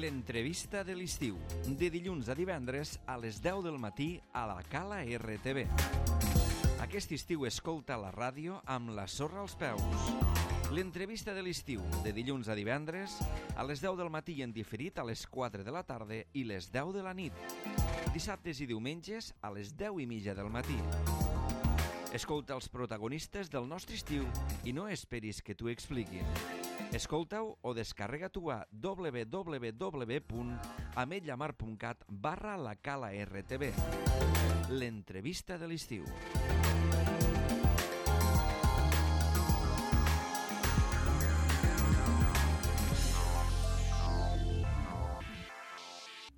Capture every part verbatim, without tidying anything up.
L'entrevista de l'estiu, de dilluns a divendres a les deu del matí a la Cala R T V. Aquest estiu escolta la ràdio amb la sorra als peus. L'entrevista de l'estiu, de dilluns a divendres a les deu del matí i en diferit a les quatre de la tarda i les deu de la nit. Dissabtes i diumenges a les deu i mitja del matí. Escolta els protagonistes del nostre estiu i no esperis que t'ho expliquin. Escolta-ho o descarrega-t'ho a w w w punt ametlla mar punt cat barra la cala R T V. L'entrevista de l'estiu.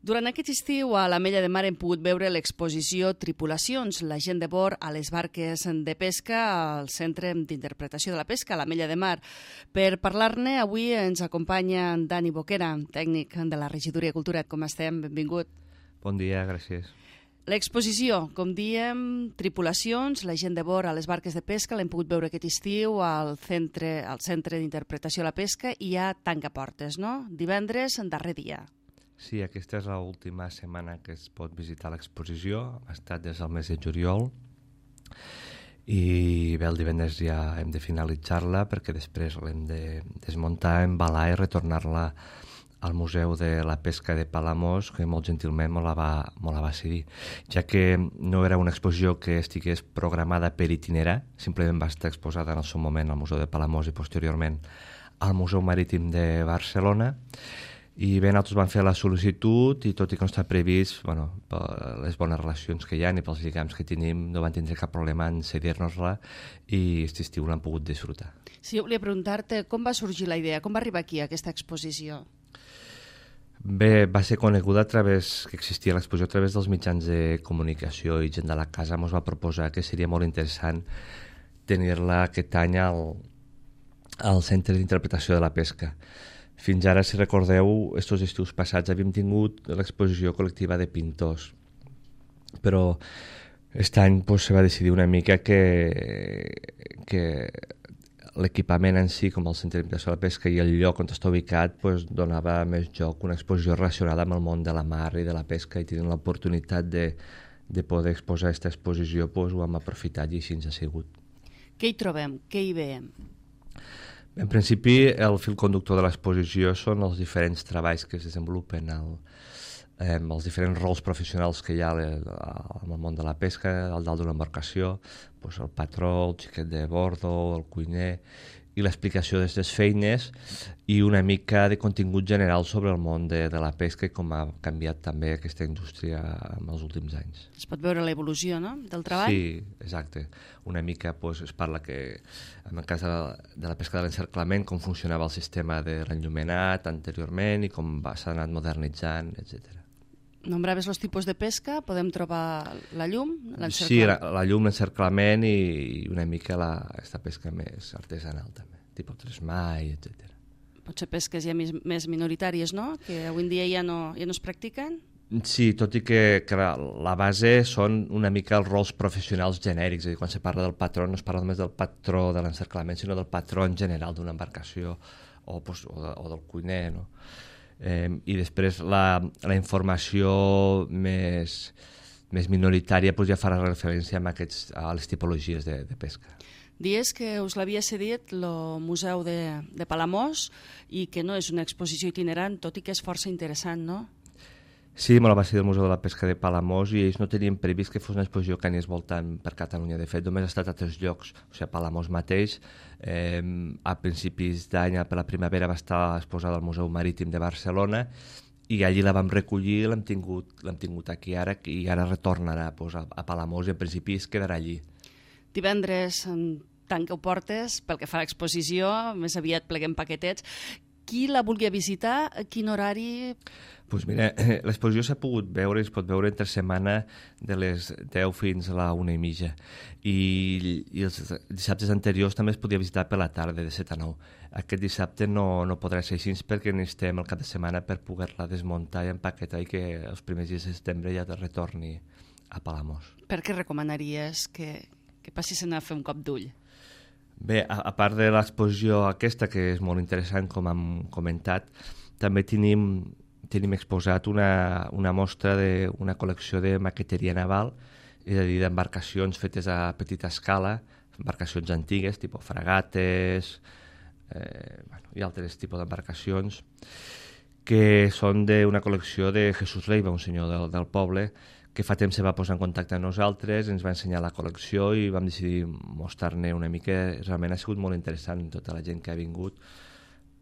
Durant aquest estiu a l'Ametlla de Mar hem pogut veure l'exposició Tripulacions, la gent de bord a les barques de pesca al Centre d'Interpretació de la Pesca, a l'Ametlla de Mar. Per parlar-ne, avui ens acompanya Dani Boquera, tècnic de la Regidoria de Cultura. Com estem? Benvingut. Bon dia, gràcies. L'exposició, com diem, Tripulacions, la gent de bord a les barques de pesca, l'hem pogut veure aquest estiu al Centre, al Centre d'Interpretació de la Pesca i a Tancaportes, no? Divendres, en darrer dia. Sí, aquesta és l'última setmana que es pot visitar l'exposició. Ha estat des del mes de juliol i bé, el divendres ja hem de finalitzar-la perquè després l'hem de desmuntar, embalar i retornar-la al Museu de la Pesca de Palamós, que molt gentilment me la va, me la va cedir, ja que no era una exposició que estigués programada per itinerar, simplement va estar exposada en el seu moment al Museu de Palamós i posteriorment al Museu Marítim de Barcelona. I bé, nosaltres vam fer la sol·licitud i tot i que no està previst, bueno, per les bones relacions que hi ha i pels lligams que tenim, no van tindre cap problema en cedir-nos-la i aquest estiu l'han pogut disfrutar. Sí, jo volia preguntar-te com va sorgir la idea, com va arribar aquí aquesta exposició? Bé, va ser coneguda a través, que existia l'exposició a través dels mitjans de comunicació i gent de la casa ens va proposar que seria molt interessant tenir-la aquest any al, al Centre d'Interpretació de la Pesca. Fins ara, si recordeu, estos estius passats havíem tingut l'exposició col·lectiva de pintors, però aquest any pues, se va decidir una mica que, que l'equipament en si, com el Centre d'Interpretació de la Pesca i el lloc on està ubicat, pues, donava més joc una exposició relacionada amb el món de la mar i de la pesca, i tenint l'oportunitat de, de poder exposar aquesta exposició, pues, ho hem aprofitat i així ens ha sigut. Què hi trobem? Què hi veiem? En principi, el fil conductor de l'exposició són els diferents treballs que es desenvolupen, el, eh, els diferents rols professionals que hi ha en el món de la pesca, al dalt d'una embarcació, doncs el patró, el xiquet de bordo, el cuiner, i l'explicació d'aquestes feines i una mica de contingut general sobre el món de, de la pesca i com ha canviat també aquesta indústria en els últims anys. Es pot veure l'evolució, no?, del treball? Sí, exacte. Una mica pues, es parla que en el cas de la, de la pesca de l'encerclament, com funcionava el sistema de l'enllumenat anteriorment i com s'ha anat modernitzant, etcètera. Nombraves els tipus de pesca, podem trobar la llum, l'encerclament? Sí, la, la llum, l'encerclament i, i una mica la, aquesta pesca més artesanal també, tipus tresmai, etcètera. Potser pesques ja més, més minoritàries, no?, que avui en dia ja no, ja no es practiquen? Sí, tot i que, que la base són una mica els rols professionals genèrics, és a dir, quan se parla del patró no es parla només del patró de l'encerclament, sinó del patró en general d'una embarcació o, pues, o, de, o del cuiner, no? Eh, i després la, la informació més, més minoritària pues, ja farà referència a, aquests, a les tipologies de, de pesca. Dies que us l'havia cedit el Museu de, de Palamós i que no és una exposició itinerant, tot i que és força interessant, no? Sí, me la va ser del Museu de la Pesca de Palamós i ells no tenien previst que fos una exposició que anés voltant per Catalunya. De fet, només ha estat a tres llocs. O sigui, a Palamós mateix, eh, a principis d'any, per la primavera, va estar exposada al Museu Marítim de Barcelona i allí la vam recollir i l'hem tingut, l'hem tingut aquí ara i ara retornarà pues, a, a Palamós i en principi es quedarà allí. Divendres, tant que ho portes, pel que fa a l'exposició, més aviat pleguem paquetets. Qui la vulgui visitar, a quin horari? Pues mira, l'exposició s'ha pogut veure, es pot veure entre setmana de les deu fins a la una i mitja. I, i els dissabtes anteriors també es podia visitar per la tarda, de set a nou. Aquest dissabte no, no podrà ser així perquè necessitem el cap de setmana per poder-la desmuntar i empaquetar i que els primers dies de setembre ja retorni a Palamós. Per què recomanaries que, que passessin a fer un cop d'ull? Bé, a, a part de l'exposició aquesta, que és molt interessant, com hem comentat, també tenim tenim exposat una, una mostra d'una col·lecció de maqueteria naval, és a dir, d'embarcacions fetes a petita escala, embarcacions antigues, tipus fragates, eh, bueno, i altres tipus d'embarcacions, que són d'una col·lecció de Jesús Leiva, un senyor del, del poble, que fa temps se va posar en contacte amb nosaltres, ens va ensenyar la col·lecció i vam decidir mostrar-ne una mica. Realment ha sigut molt interessant, tota la gent que ha vingut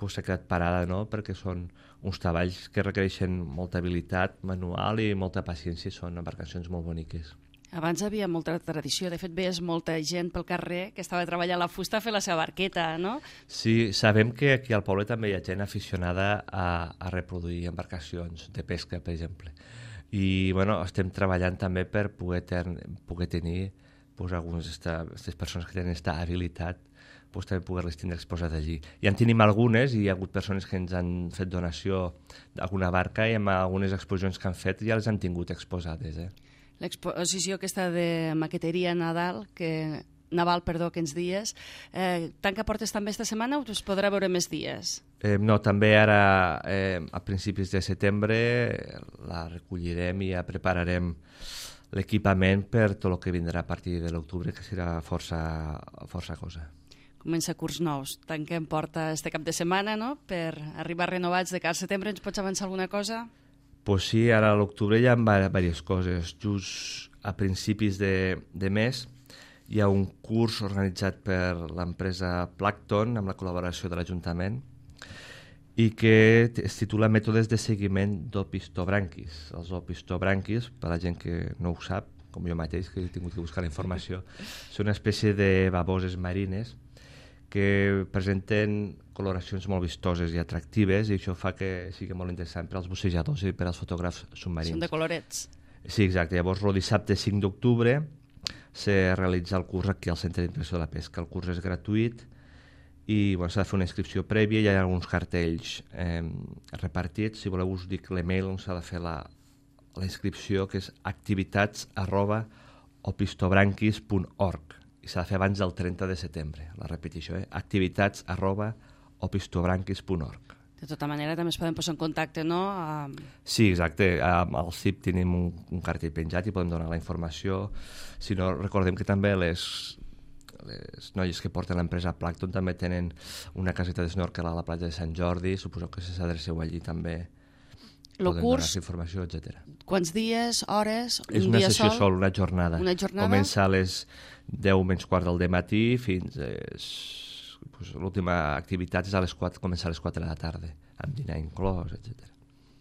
pues, s'ha quedat parada, no? Perquè són uns treballs que requereixen molta habilitat manual i molta paciència, són embarcacions molt boniques. Abans hi havia molta tradició, de fet veies molta gent pel carrer que estava treballant la fusta a fer la seva barqueta, no? Sí, sabem que aquí al poble també hi ha gent aficionada a, a reproduir embarcacions de pesca, per exemple. I bueno, estem treballant també per poder, ten, poder tenir pues, algunes d'aquestes persones que tenen aquesta habilitat, pues, també poder-les tindre exposat allí. Ja en tenim algunes i hi ha hagut persones que ens han fet donació d'alguna barca i amb algunes exposicions que han fet ja les han tingut exposades, eh? L'exposició aquesta de maqueteria Nadal, que, naval perdó, que ens dies, eh, tanca portes també esta setmana o es podrà veure més dies? Eh, no, també ara eh, a principis de setembre la recollirem i ja prepararem l'equipament per tot el que vindrà a partir de l'octubre, que serà força, força cosa. Comença curs nous, tanquem porta este cap de setmana, no?, per arribar renovats de cara al setembre. Ens pots avançar alguna cosa? Pues sí, ara a l'octubre hi ha diverses coses. Just a principis de, de mes hi ha un curs organitzat per l'empresa Plankton amb la col·laboració de l'Ajuntament i que es titula Mètodes de seguiment d'opistobranquis. Els opistobranquis, per a la gent que no ho sap, com jo mateix, que he tingut que buscar la informació, són una espècie de baboses marines que presenten coloracions molt vistoses i atractives i això fa que sigui molt interessant per als bussejadors i per als fotògrafs submarins. Són de colorets. Sí, exacte. Llavors, el dissabte cinc d'octubre se realitza el curs aquí al Centre d'Impressió de la Pesca. El curs és gratuït i bueno, s'ha de fer una inscripció prèvia, hi ha alguns cartells eh, repartits. Si voleu us dic l'email on s'ha de fer la, la inscripció, que és activitats arroba opistobranquis punt org i s'ha de fer abans del trenta de setembre. La repetició, eh? activitats arroba opistobranquis punt org. De tota manera, també es poden posar en contacte, no? A... Sí, exacte. Al C I P tenim un, un cartell penjat i podem donar la informació. Si no, recordem que també les, les noies que porten l'empresa Plankton també tenen una caseta d'esnorkel a la platja de Sant Jordi. Suposo que si s'adreceu allí també Lo podem curs, donar informació, etcètera. Quants dies, hores, un És una dia sessió sol? sol, una jornada. Una jornada? Comença a les deu menys quart del matí fins a pues, l'última activitat és a les quatre, comença a les quatre de la tarda, amb dinar inclòs, etcètera.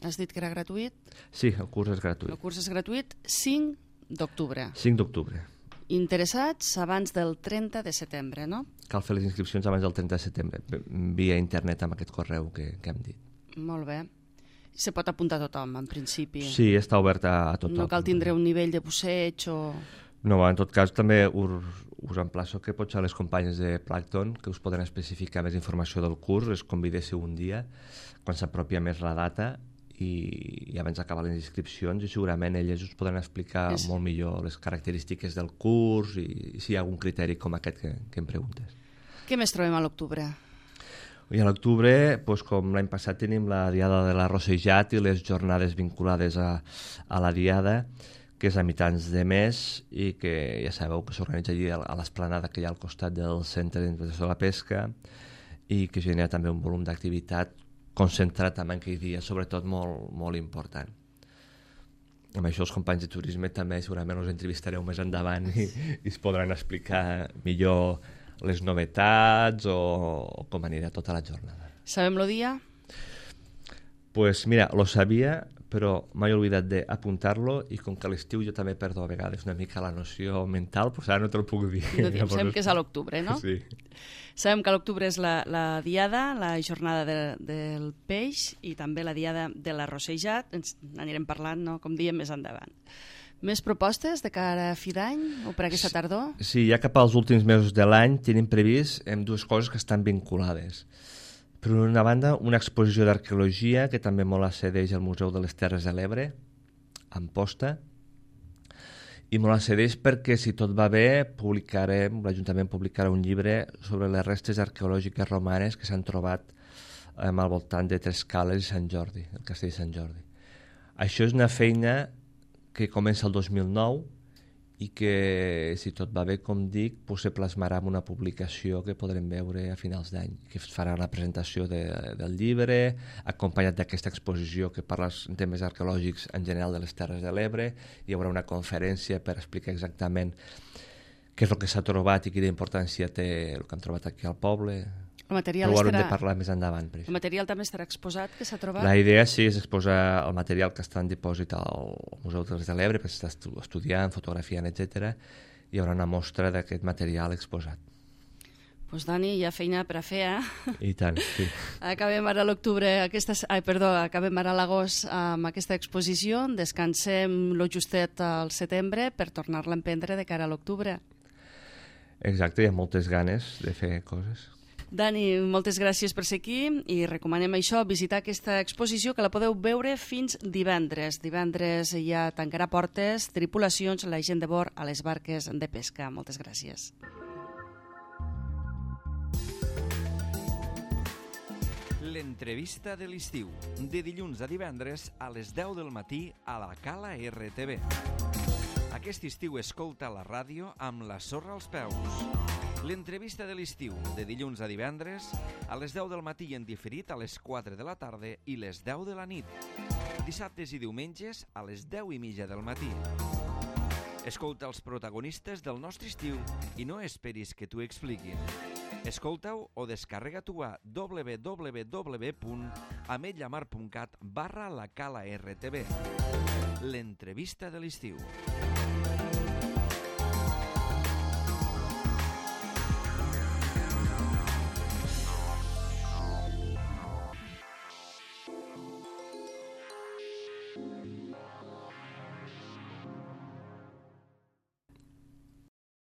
Has dit que era gratuït? Sí, el curs és gratuït. El curs és gratuït cinc d'octubre. cinc d'octubre. Interessats abans del trenta de setembre, no? Cal fer les inscripcions abans del trenta de setembre, via internet amb aquest correu que, que hem dit. Molt bé. Se pot apuntar a tothom, en principi. Sí, està oberta a tothom. No cal tindre un nivell de busseig o... No, en tot cas també us, us emplaço que potser a les companyes de Plankton que us poden especificar més informació del curs, les convidéssiu un dia quan s'apropia més la data i, i abans d'acabar les inscripcions i segurament elles us poden explicar és... molt millor les característiques del curs i, i si hi ha algun criteri com aquest que, que em preguntes. Què més trobem a l'octubre? I a l'octubre, doncs, com l'any passat, tenim la Diada de l'Arrossejat i les jornades vinculades a, a la Diada, que és a mitjans de mes i que ja sabeu que s'organitza allí a l'esplanada que hi ha al costat del Centre d'Impressió de la Pesca i que genera també un volum d'activitat concentrat en aquell dia, sobretot molt, molt important. Amb això els companys de turisme també segurament us entrevistareu més endavant i, i es podran explicar millor les novetats o, o com anirà tota la jornada. Sabem el dia? Pues mira, lo sabia, però m'he oblidat d'apuntar-lo i com que a l'estiu jo també perdo a vegades una mica la noció mental, doncs ara no te'l puc dir. No diem, sabem que és a l'octubre, no? Sí. Sabem que a l'octubre és la, la diada, la jornada de, del peix i també la diada de l'arrossejat. Ens anirem parlant, no? Com diem, més endavant. Més propostes de cara a fi d'any o per aquesta tardor? Sí, ja cap als últims mesos de l'any tenim previst em, dues coses que estan vinculades. Per una banda, una exposició d'arqueologia que també molt accedeix al Museu de les Terres de l'Ebre, a Amposta, i molt accedeix perquè, si tot va bé, publicarem, l'Ajuntament publicarà un llibre sobre les restes arqueològiques romanes que s'han trobat eh, al voltant de Trescales i Sant Jordi, el castell de Sant Jordi. Això és una feina que comença el dos mil nou i que, si tot va bé, com dic, pues, se plasmarà en una publicació que podrem veure a finals d'any, que farà la presentació de, del llibre, acompanyat d'aquesta exposició que parla en temes arqueològics en general de les Terres de l'Ebre. Hi haurà una conferència per explicar exactament què és el que s'ha trobat i quina importància té el que han trobat aquí al poble. El material, Però ho haurem estarà... de parlar més endavant. el material també estarà exposat, que s'ha trobat? La idea sí és exposar el material que està en dipòsit al Museu de Terres de l'Ebre, perquè s'està estudiant, fotografiant, etcètera. Hi haurà una mostra d'aquest material exposat. Doncs pues, Dani, hi ha feina per a fer, eh? I tant, sí. Acabem ara a l'octubre, aquesta... ai, perdó, acabem ara a l'agost amb aquesta exposició, descansem lo justet al setembre per tornar-la a emprendre de cara a l'octubre. Exacte, hi ha moltes ganes de fer coses. Dani, moltes gràcies per ser aquí i recomanem això, visitar aquesta exposició que la podeu veure fins divendres. Divendres ja tancarà portes, tripulacions, la gent de bord a les barques de pesca. Moltes gràcies. L'entrevista de l'estiu, de dilluns a divendres a les deu del matí a la Cala R T V. Aquest estiu escolta la ràdio amb la sorra als peus. L'entrevista de l'estiu, de dilluns a divendres, a les deu del matí en diferit a les quatre de la tarda i les deu de la nit. Dissabtes i diumenges a les deu i mitja del matí. Escolta els protagonistes del nostre estiu i no esperis que t'ho expliquin. Escolta-ho o descarrega-t'ho a w w w punt ametlla mar punt cat barra la cala R T V. L'entrevista de l'estiu.